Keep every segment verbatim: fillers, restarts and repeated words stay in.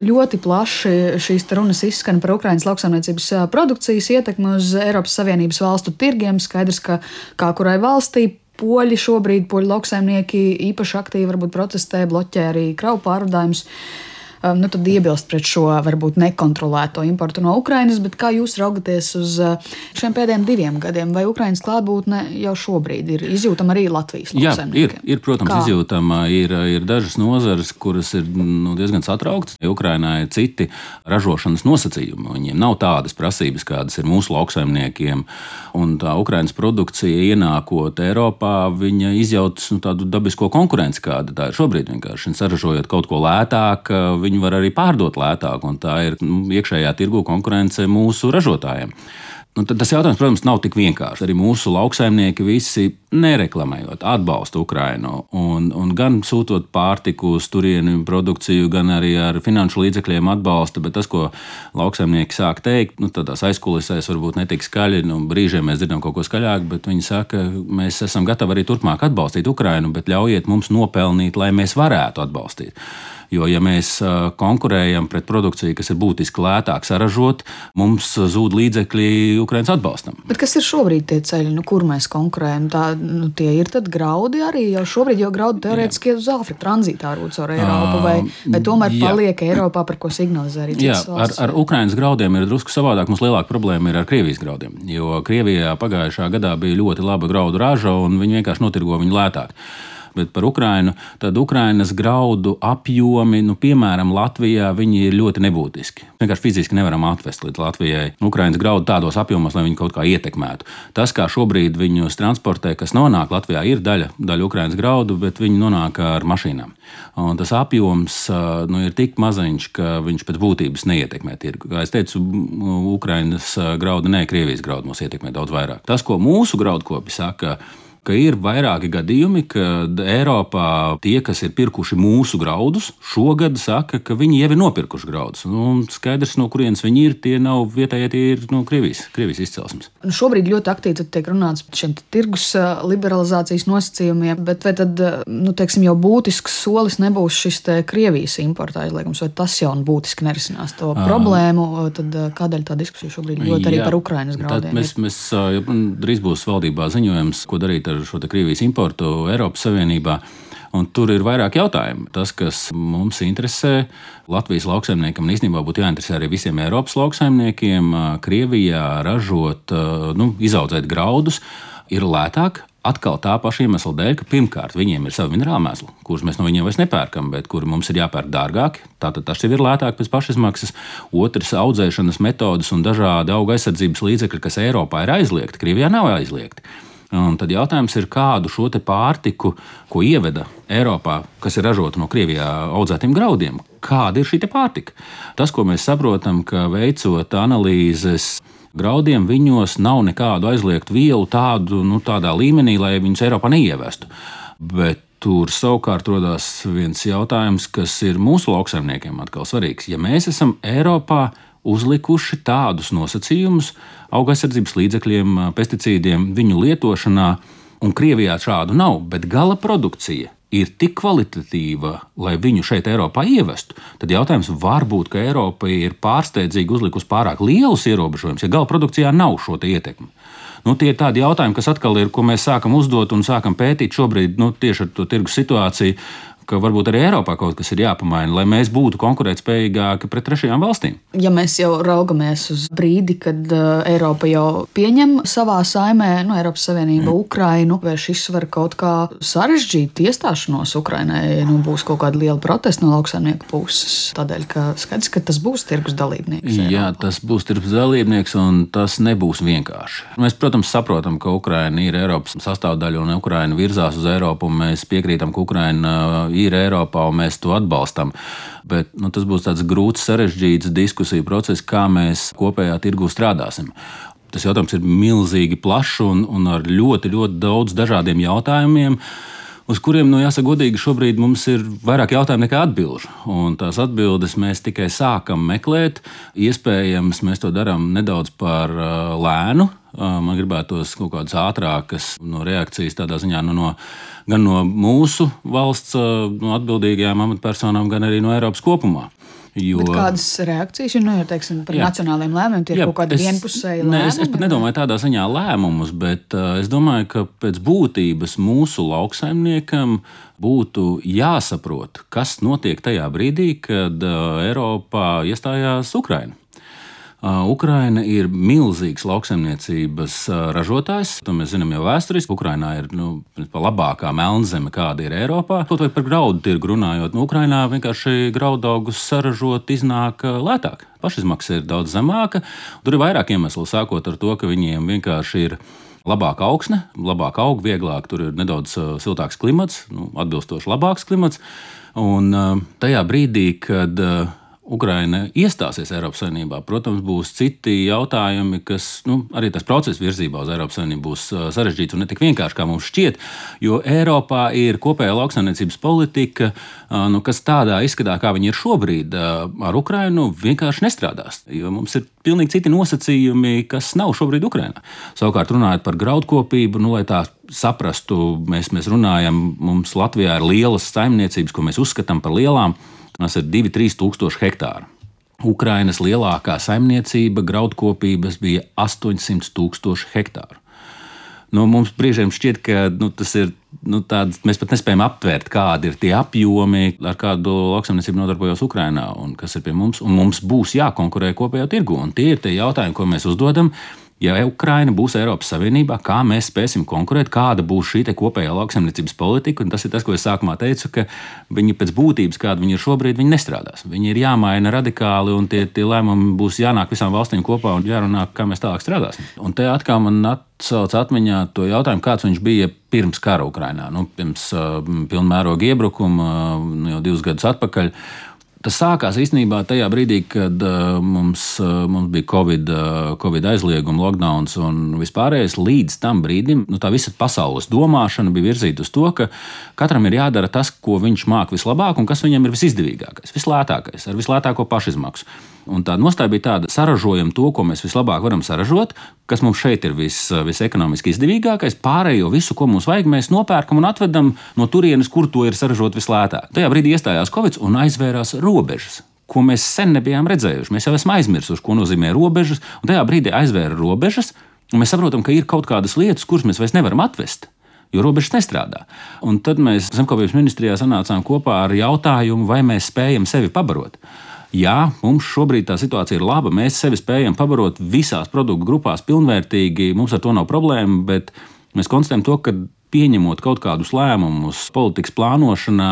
Ļoti plaši šīs runas izskan par Ukrainas lauksaimniecības produkcijas ietekmi uz Eiropas Savienības valstu tirgiem. Skaidrs, ka kā kurai valstī poļi šobrīd, poļu lauksaimnieki īpaši aktīvi varbūt protestē, bloķē arī kravu pārvadājumus. Nu, tad iebilst pret šo varbūt nekontrolēto importu no Ukrainas, bet kā jūs raugaties uz šiem pēdējiem diviem gadiem? Vai Ukrainas klātbūtne jau šobrīd ir izjūtama arī Latvijas lauksaimniekiem? Jā, ir, ir, protams, Kā? izjūtama. Ir, ir dažas nozares, kuras ir nu, diezgan satrauktas. Ukrainā ir citi ražošanas nosacījumi. Viņiem nav tādas prasības, kādas ir mūsu lauksaimniekiem. Un tā Ukrainas produkcija ienākot Eiropā, viņa izjautas nu, tādu dabisko konkurenci, kāda tā ir šobrīd. Vienkārši saražojot kaut ko lētāk, viņi var arī pārdot lētāk, un tā ir nu, iekšējā tirgu konkurence mūsu ražotājiem. Nu, tas jautājums, protams, nav tik vienkāršs. Arī mūsu lauksaimnieki visi nereklamējot, atbalsta Ukrainu. Un, un gan sūtot pārtiku uz turieni produkciju, gan arī ar finanšu līdzekļiem atbalsta. Bet tas, ko lauksaimnieki sāk teikt, nu, tādās aizkulisēs varbūt netik skaļi, nu, brīžiem mēs dzirdam kaut ko skaļāk, bet viņi saka, mēs esam gatavi arī turpmāk atbalstīt Ukrainu, bet ļaujiet mums nopelnīt, lai mēs varētu atbalstīt. Jo, ja mēs konkurējam pret produkciju, kas ir būtiski lētāk saražot, mums zūd līdzekļi Ukrainas atbalstam. Bet kas ir šobrīd tie ceļi, nu, kur mēs konkurējam? Tā, nu, tie ir tad graudi arī, jau šobrīd jau graudi teorētiski iet uz Āfriku tranzītā rūc ar Eiropu, vai, vai tomēr jā. paliek Eiropā, par ko signalizē arī citas valsts? Jā, ar, ar Ukrainas graudiem ir drusku savādāk. Mums lielāka problēma ir ar Krievijas graudiem, jo Krievijā pagājušā gadā bija ļoti laba graudu raža, un viņi vienkārši notirgo viņu lētāk. Bet par Ukrainu, tad Ukrainas graudu apjomi, nu, piemēram, Latvijā, viņi ir ļoti nebūtiski. Vienkārši fiziski nevaram atvest līdz Latvijai Ukrainas graudu tādos apjomos, lai viņi kaut kā ietekmētu. Tas, kā šobrīd viņus transportē, kas nonāk Latvijā, ir daļa, daļa Ukrainas graudu, bet viņi nonāk ar mašīnām. Un tas apjoms nu, ir tik maziņš, ka viņš pēc būtības neietekmē tirgu. Kā es teicu, Ukrainas graudu, ne Krievijas graudu mūs ietekmē daudz vairāk. Tas, ko mūsu graudkopi saka, ka ir vairāki gadījumi, kad Eiropā tie, kas ir pirkuši mūsu graudus, šogad saka, ka viņi jau ir nopirkuši graudus. Nu, skaidrs, no kurienes viņi ir, tie nav vietējie, tie ir no Krievijas, Krievijas izcelsmes. Šobrīd ļoti aktīvi tiek runāts par šiem tirgus liberalizācijas nosacījumiem, bet vai tad, nu, teiksim, jau būtisks solis nebūs šis te Krievijas importa aizliegums, vai tas jau būtiski nerisinās to à. problēmu, tad kādēļ tā diskusija šobrīd ļoti arī par Ukrainas graudiem? Mēs, mēs, ja drīz būs valdībā ziņojums, ko darīt ar šo Krievijas importu Eiropas Savienībā. Un tur ir vairāk jautājumu. Tas, kas mums interesē, Latvijas lauksaimniekam un īstenībā būtu jāinteresē arī visiem Eiropas lauksaimniekiem, Krievijā ražot, nu, izaudzēt graudus, ir lētāk. Atkal tā paša iemesla dēļ, ka pirmkārt viņiem ir savi minerāli mēsli, kurus mēs no viņiem vairs nepērkam, bet kuri mums ir jāpērk dārgāk. Tātad tas jau ir lētāk pēc pašizmaksas. Otrs, audzēšanas metodas un dažādi auga aizsardzības līdzekļi, kas Eiropā ir aizliegti, Krievijā nav aizliegti. Un tad jautājums ir, kādu šo te pārtiku, ko ieveda Eiropā, kas ir ražota no Krievijā audzētiem graudiem, kāda ir šī te pārtika? Tas, ko mēs saprotam, ka veicot analīzes graudiem, viņos nav nekādu aizliegtu vielu tādu, nu, tādā līmenī, lai viņus Eiropā neievestu. Bet tur savukārt rodās viens jautājums, kas ir mūsu lauksaimniekiem atkal svarīgs. Ja mēs esam Eiropā uzlikuši tādus nosacījumus auga aizsardzības līdzekļiem, pesticīdiem, viņu lietošanā, un Krievijā šādu nav, bet gala produkcija ir tik kvalitatīva, lai viņu šeit Eiropā ievestu, tad jautājums varbūt, ka Eiropa ir pārsteidzīgi uzlikusi pārāk lielus ierobežojumus, ja gala produkcijā nav šo te ietekmi. Nu, tie ir tādi jautājumi, kas atkal ir, ko mēs sākam uzdot un sākam pētīt šobrīd, nu, tieši ar to tirgus situāciju, ka varbūt arī Eiropā kaut kas ir jāpamaina, lai mēs būtu konkurētspējīgāki pret trešajām valstīm. Ja mēs jau raugamies uz brīdi, kad uh, Eiropa jau pieņem savā saimē, nu, Eiropas Savienība mm. Ukrainu, vai šis var kaut kā sarežģīt iestāšanos Ukrainai, nu, būs kaut kāda liela protesta no lauksaimnieku puses, tādēļ, ka skaidrs, ka tas būs tirgus dalībnieks. Eiropā. Jā, tas būs tirgus dalībnieks, un tas nebūs vienkārši. Mēs, protams, saprotam, ka Ukraina ir Eiropas sastāvdaļa, un Ukraina virzās uz Eiropu, un mēs piekrītam, ka Ukraina ir Eiropā, un mēs to atbalstam. Bet nu, tas būs tāds grūts, sarežģīts diskusiju process, kā mēs kopējā tirgu strādāsim. Tas jautājums ir milzīgi plašs un, un ar ļoti, ļoti daudz dažādiem jautājumiem, uz kuriem, nu, jāsaka godīgi, šobrīd mums ir vairāk jautājumu nekā atbilžu. Un tās atbildes mēs tikai sākam meklēt. Iespējams, mēs to darām nedaudz par uh, lēnu. Uh, man gribētos kaut kādas ātrākas no reakcijas tādā ziņā nu, no, gan no mūsu valsts uh, no atbildīgajām amatpersonām, gan arī no Eiropas kopumā. Jo... Bet kādas reakcijas ir, nu, jau teiksim, par jā. nacionāliem lēmumiem, tie ir kaut kādi vienpusēji lēmumi? Ne, es, es pat nedomāju tādā ziņā lēmumus, bet uh, es domāju, ka pēc būtības mūsu lauksaimniekam būtu jāsaprot, kas notiek tajā brīdī, kad uh, Eiropā iestājās Ukraina. Uh, Ukraina ir milzīgs lauksaimniecības uh, ražotājs. To mēs zinām jau vēsturiski. Ukrainā ir nu, labākā melnzeme, kāda ir Eiropā. Kaut vai par graudu tirgu runājot, nu, Ukrainā vienkārši graudaugus saražot iznāk uh, lētāk. Pašizmaksa ir daudz zemāka. Tur ir vairāk iemeslu, sākot ar to, ka viņiem vienkārši ir labāka augsne, labāk aug, vieglāk, tur ir nedaudz uh, siltāks klimats, nu, atbilstoši labāks klimats. Un uh, tajā brīdī, kad uh, Ukraina iestāsies Eiropas Savienībā, protams, būs citi jautājumi, kas nu, arī tas process virzībā uz Eiropas Savienību būs sarežģīts un ne tik vienkārši, kā mums šķiet, jo Eiropā ir kopējā lauksaimniecības politika, nu, kas tādā izskatā, kā viņi ir šobrīd, ar Ukrainu vienkārši nestrādās, jo mums ir pilnīgi citi nosacījumi, kas nav šobrīd Ukrainā. Savukārt runājot par graudkopību, nu, lai tā saprastu, mēs, mēs runājam, mums Latvijā ir lielas saimniecības, ko mēs uzskatām par lielām. Tas ir divi līdz trīs tūkstoši hektāri. Ukrainas lielākā saimniecība graudkopības bija astoņsimt tūkstoši hektāru. Nu, mums brīžiem šķiet, ka nu, tas ir nu, tāds, mēs pat nespējam aptvērt, kādi ir tie apjomi, ar kādu lauksaimniecību nodarbojos Ukrainā un kas ir pie mums. Un mums būs jākonkurē kopējā tirgu. Un tie ir tie jautājumi, ko mēs uzdodam. Ja Ukraina būs Eiropas Savienībā, kā mēs spēsim konkurēt, kāda būs šī kopējā lauksaimniecības politika, un tas ir tas, ko es sākumā teicu, ka viņi pēc būtības, kāda viņi ir šobrīd, viņi nestrādās. Viņi ir jāmaina radikāli, un tie, tie lēmumi būs jānāk visām valstīm kopā un jārunā, kā mēs tālāk strādāsim. Un te atkal man atsauc atmiņā to jautājumu, kāds viņš bija pirms kara Ukrainā, nu, pirms uh, pilnmēroga iebrukuma, uh, jau divus gadus atpakaļ. Tas sākās īstenībā tajā brīdī, kad uh, mums, uh, mums bija COVID, uh, COVID aizlieguma, lockdowns un vispārējais. Līdz tam brīdim nu, tā visa pasaules domāšana bija virzīta uz to, ka katram ir jādara tas, ko viņš māk vislabāk un kas viņam ir visizdevīgākais, vislētākais, ar vislētāko pašizmaksu. Un tā nostāja bija tāda, saražojam to, ko mēs vislabāk varam saražot, kas mums šeit ir vis, visekonomiski izdevīgākais, pārējo visu, ko mums vajag, mēs nopērkam un atvedam no turienes, kur to ir saražot vislētāk. Tajā brīdī iestājās Covid un aizvērās robežas, ko mēs sen nebijām redzējuši. Mēs jau esam aizmirsuši, ko nozīmē robežas, un tajā brīdī aizvēra robežas, un mēs saprotam, ka ir kaut kādas lietas, kuras mēs vairs nevaram atvest, jo robežas nestrādā. Un tad mēs Zemkopības ministrijā sanācām kopā ar jautājumu, vai mēs spējam sevi pabarot. Jā, mums šobrīd tā situācija ir laba. Mēs sevi spējam pabarot visās produktu grupās pilnvērtīgi. Mums ar to nav problēma, bet mēs konstatējam to, ka pieņemot kaut kādus lēmumus politikas plānošanā,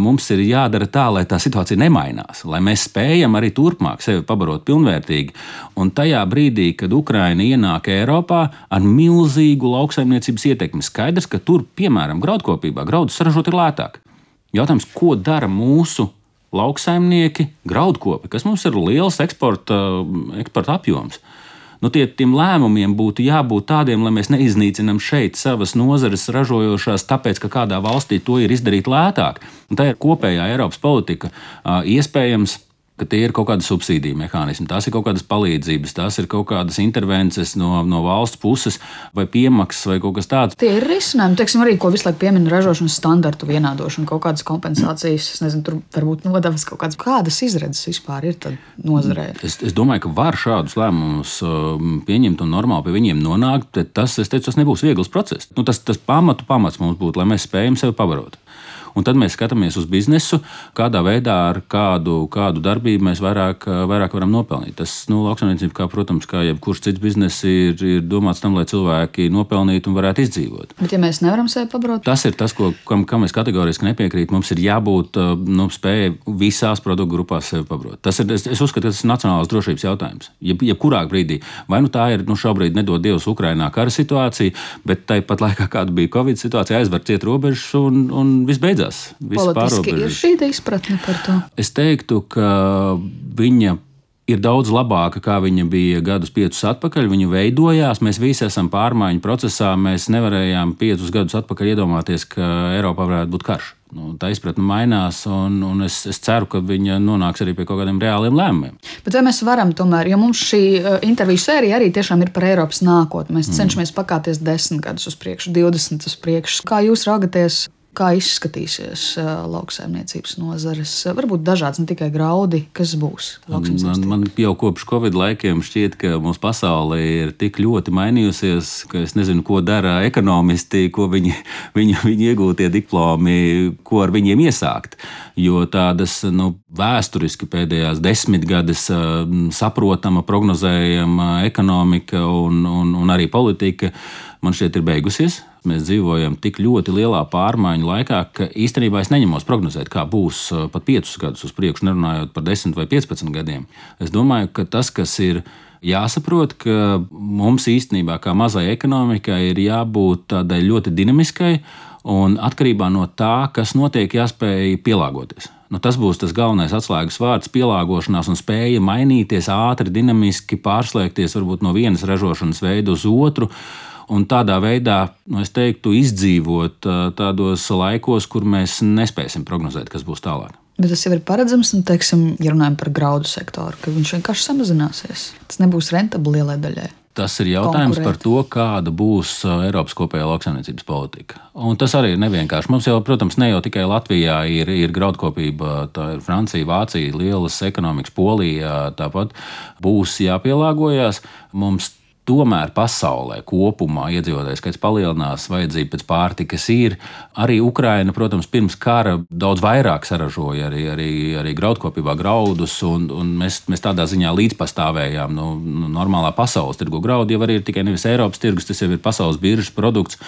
mums ir jādara tā, lai tā situācija nemainās, lai mēs spējam arī turpmāk sevi pabarot pilnvērtīgi. Un tajā brīdī, kad Ukraina ienāk Eiropā ar milzīgu lauksaimniecības ietekmi, skaidrs, ka tur, piemēram, graudkopībā, graudus saražot ir lētāk. Jautājums, ko dara mūsu lauksaimnieki, graudkopi, kas mums ir liels eksporta, eksporta apjoms. Nu, tie, tiem lēmumiem būtu jābūt tādiem, lai mēs neiznīcinām šeit savas nozares ražojošās, tāpēc, ka kādā valstī to ir izdarīt lētāk. Un tā ir kopējā Eiropas politika. Iespējams, ka tie ir kaut kādi subsīdiju mehānismi, tās ir kaut kādas palīdzības, tās ir kaut kādas intervences no, no valsts puses vai piemaksas vai kaut kas tāds. Tie ir risinājumi, teiksim, arī, ko visu laiku piemina ražošanas standartu vienādošana, kaut kādas kompensācijas, es nezinu, tur varbūt nodevas kaut kādas. Kādas izredzes vispār ir tad nozarē? Es, es domāju, ka var šādus lēmumus pieņemt un normāli pie viņiem nonākt, bet tas, es teicu, tas nebūs viegls process. Nu, tas, tas pamatu pamats mums būtu, lai mēs spējam sevi pabarot. Un tad mēs skatāmies uz biznesu, kādā veidā ar kādu, kādu darbību mēs vairāk, vairāk varam nopelnīt. Tas, nu, lauksaimniecība, kā, protams, kā jebkurš cits bizness, ir, ir domāts tam, lai cilvēki nopelnītu un varētu izdzīvot. Bet ja mēs nevaram sevi pabarot? Tas ir tas, ko, kam, kam es kategoriski nepiekrītu. Mums ir jābūt nu, spējai visās produktu grupās sevi pabarot. Tas ir, es, es uzskatu, ka tas ir nacionālās drošības jautājums. Jeb, jebkurā brīdī. Vai nu tā ir, nu, šobrīd nedod Dievs Ukrainā kara situācija, bet tāpat laikā, kāda bija Covid situācija, aizver ciet robežas un, un viss beidzās. Politiski ir šī izpratne par to? Es teiktu, ka viņa ir daudz labāka, kā viņa bija gadus piecus atpakaļ. Viņa veidojās, mēs visi esam pārmaiņu procesā. Mēs nevarējām piecus gadus atpakaļ iedomāties, ka Eiropā varētu būt karš. Nu, tā izpratne mainās, un, un es, es ceru, ka viņa nonāks arī pie kaut kādiem reāliem lēmumiem. Bet vai mēs varam tomēr, jo mums šī interviju sērija arī tiešām ir par Eiropas nākotni. Mēs mm. cenšamies pakāpties desmit gadus uz priekšu, divdesmit uz priekšu. Kā jūs raugaties? Kā izskatīsies lauksaimniecības nozares? Varbūt dažāds, ne tikai graudi, kas būs lauksaimniecības. Man, man jau kopš Covid laikiem šķiet, ka mūsu pasaule ir tik ļoti mainījusies, ka es nezinu, ko dara ekonomisti, ko viņi, viņi, viņi iegūtie diplomi, ko ar viņiem iesākt. Jo tādas nu, vēsturiski pēdējās desmitgades saprotama, prognozējama ekonomika un, un, un arī politika man šķiet ir beigusies. Mēs dzīvojam tik ļoti lielā pārmaiņu laikā, ka īstenībā es neņemos prognozēt, kā būs pat piecus gadus uz priekšu, nerunājot par desmit vai piecpadsmit gadiem. Es domāju, ka tas, kas ir jāsaprot, ka mums īstenībā kā mazai ekonomikai ir jābūt tādai ļoti dinamiskai un atkarībā no tā, kas notiek, jāspēj pielāgoties. Nu, tas būs tas galvenais atslēgas vārds - pielāgošanās un spēja mainīties ātri, dinamiski, pārslēgties varbūt no vienas ražošanas veida uz otru. Un tādā veidā, nu, es teiktu, izdzīvot tādos laikos, kur mēs nespēsim prognozēt, kas būs tālāk. Bet tas jau ir paredzams, un, teiksim, ja runājam par graudu sektoru, ka viņš vienkārši samazināsies. Tas nebūs rentabli lielai daļai. Tas ir jautājums par to, kāda būs Eiropas kopējā lauksaimniecības politika. Un tas arī ir nevienkārši. Mums jau, protams, ne jau tikai Latvijā ir, ir graudkopība, tā ir Francija, Vācija, lielas ekonomikas, Polija, tāpat būs jāpielāgojas. Mums tomēr pasaulē kopumā iedzīvotāju skaits palielinās, vajadzība pēc pārtikas ir. Arī Ukraina, protams, pirms kara daudz vairāk saražoja arī, arī, arī graudkopībā graudus, un, un mēs, mēs tādā ziņā līdzpastāvējām. Nu, normālā pasaules tirgu graudi jau arī ir tikai nevis Eiropas tirgus, tas jau ir pasaules biržas produkts,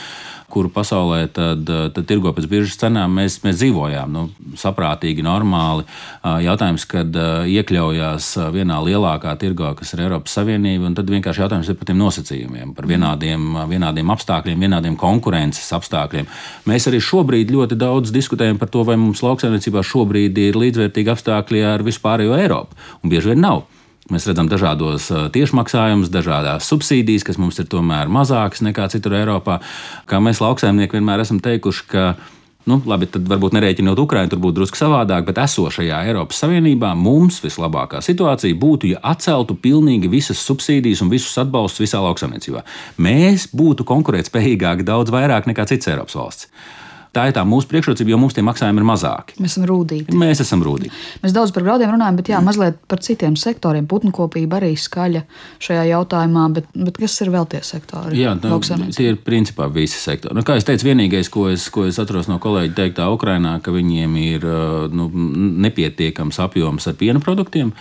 kuru pasaulē tad, tad tirgo pēc biržas cenām, mēs, mēs dzīvojām nu, saprātīgi, normāli. Jautājums, kad iekļaujās vienā lielākā tirgā, kas ir Eiropas Savienība, un tad vienkārši jautājums ir par tiem nosacījumiem, par vienādiem, vienādiem apstākļiem, vienādiem konkurences apstākļiem. Mēs arī šobrīd ļoti daudz diskutējam par to, vai mums lauksaimniecībā šobrīd ir līdzvērtīgi apstākļi ar vispārējo Eiropu, un bieži vien nav. Mēs redzam dažādos tiešmaksājumus, dažādās subsīdijas, kas mums ir tomēr mazākas nekā citur Eiropā. Kā mēs lauksaimnieki vienmēr esam teikuši, ka, nu, labi, tad varbūt nerēķinot Ukrainu, tur būtu drusku savādāk, bet esošajā Eiropas Savienībā mums vislabākā situācija būtu, ja atceltu pilnīgi visas subsīdijas un visus atbalstus visā lauksaimniecībā. Mēs būtu konkurētspējīgāki daudz vairāk nekā citas Eiropas valsts. Tā ir tā mūsu priekšrocība, jo mums tie maksājumi ir mazāki. Mēs esam rūdīgi. Mēs esam rūdīgi. Mēs daudz par graudiem runājam, bet jā, mazliet par citiem sektoriem. Putnkopība arī skaļa šajā jautājumā, bet, bet kas ir vēl tie sektori? Jā, nu, tie ir principā visi sektori. Nu, kā es teicu, vienīgais, ko es, ko es atceros no kolēģa teiktā Ukrainā, ka viņiem ir nu, nepietiekams apjoms ar piena produktiem.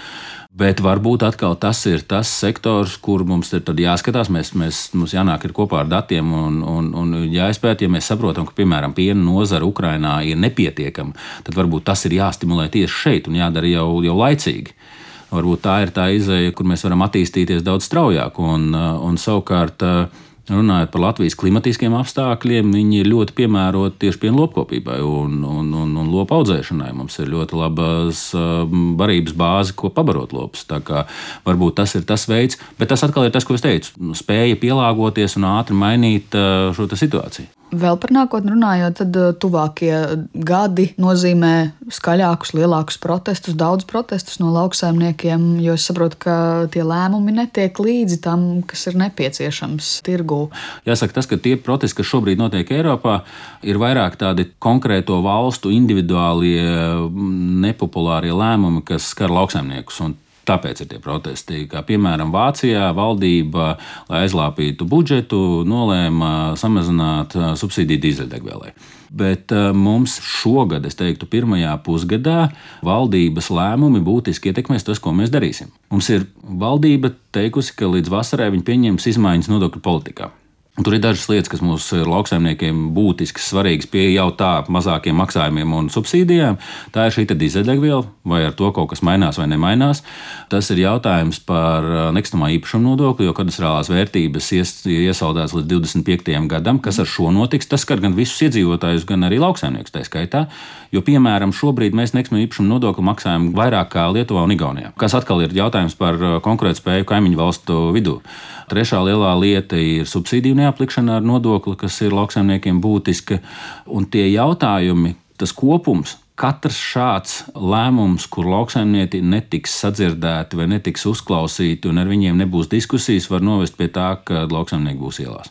Bet varbūt atkal tas ir tas sektors, kur mums ir jāskatās. Mēs, mēs, mums jānāk kopā ar datiem un, un, un jāizpēta. Ja mēs saprotam, ka, piemēram, piena nozara Ukrainā ir nepietiekama, tad varbūt tas ir jāstimulē tieši šeit un jādara jau, jau laicīgi. Varbūt tā ir tā izeja, kur mēs varam attīstīties daudz straujāk. Un, un savukārt, runājot par Latvijas klimatiskiem apstākļiem, viņi ir ļoti piemēroti tieši piena lopkopībai un, un, un, un lopu audzēšanai. Mums ir ļoti labas barības bāze, ko pabarot lopus. Tā kā varbūt tas ir tas veids, bet tas atkal ir tas, ko es teicu, spēja pielāgoties un ātri mainīt šo situāciju. Vēl par nākotni runājot, tad tuvākie gadi nozīmē skaļākus, lielākus protestus, daudz protestus no lauksaimniekiem, jo es saprotu, ka tie lēmumi netiek līdzi tam, kas ir nepieciešams tirgū. Jāsaka tas, ka tie protesti, kas šobrīd notiek Eiropā, ir vairāk tādi konkrēto valstu individuālie, nepopulārie lēmumi, kas skar lauksaimniekus. Un tāpēc ir tie protesti, kā piemēram Vācijā valdība, lai aizlāpītu budžetu, nolēma samazināt subsīdiju dīzeļdegvielai. Bet mums šogad, es teiktu, pirmajā pusgadā valdības lēmumi būtiski ietekmēs tas, ko mēs darīsim. Mums ir valdība teikusi, ka līdz vasarai viņi pieņems izmaiņas nodokļu politikā. Tur ir dažas lietas, kas mums ir lauksaimniekiem būtiskas, svarīgas pie jau tā mazākiem maksājumiem un subsīdijām. Tā ir šī dīzeļdegviela, vai ar to kaut kas mainās vai nemainās. Tas ir jautājums par nekustamā īpašuma nodokli, jo kadastrālās vērtības ies, iesaldēts līdz divdesmit piektajam gadam. Kas ar šo notiks? Tas skar gan visus iedzīvotājus, gan arī lauksaimniekus tā skaitā. Jo, piemēram, šobrīd mēs nekustamā īpašuma nodokli maksājam vairāk kā Lietuvā un Igaunijā. Kas atkal ir jautājums par konkurētspēju kaimiņu valstu vidū. Trešā lielā lieta ir subsīdiju neaplikšana ar nodokli, kas ir lauksaimniekiem būtiska. Un tie jautājumi, tas kopums, katrs šāds lēmums, kur lauksaimnieki netiks sadzirdēti vai netiks uzklausīti un ar viņiem nebūs diskusijas, var novest pie tā, ka lauksaimnieki būs ielās.